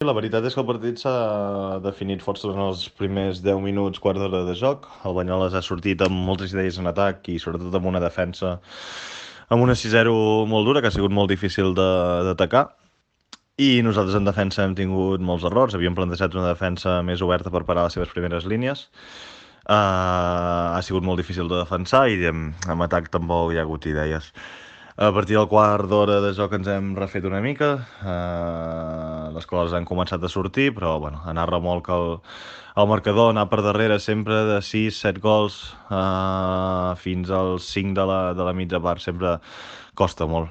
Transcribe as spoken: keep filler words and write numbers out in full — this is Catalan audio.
La veritat és que el partit s'ha definit força en els primers deu minuts, quart d'hora de joc. El Banyoles ha sortit amb moltes idees en atac i sobretot amb una defensa amb una sis zero molt dura, que ha sigut molt difícil de- d'atacar. I nosaltres en defensa hem tingut molts errors. Havíem plantejat una defensa més oberta per parar les seves primeres línies. Uh, ha sigut molt difícil de defensar i en, en atac tampoc hi ha hagut idees. A partir del quart d'hora de joc ens hem refet una mica, uh, les coses han començat a sortir, però bueno, anar a remolc el, el marcador, anar per darrere sempre de sis set gols uh, fins als cinc de la, de la mitja part, sempre costa molt.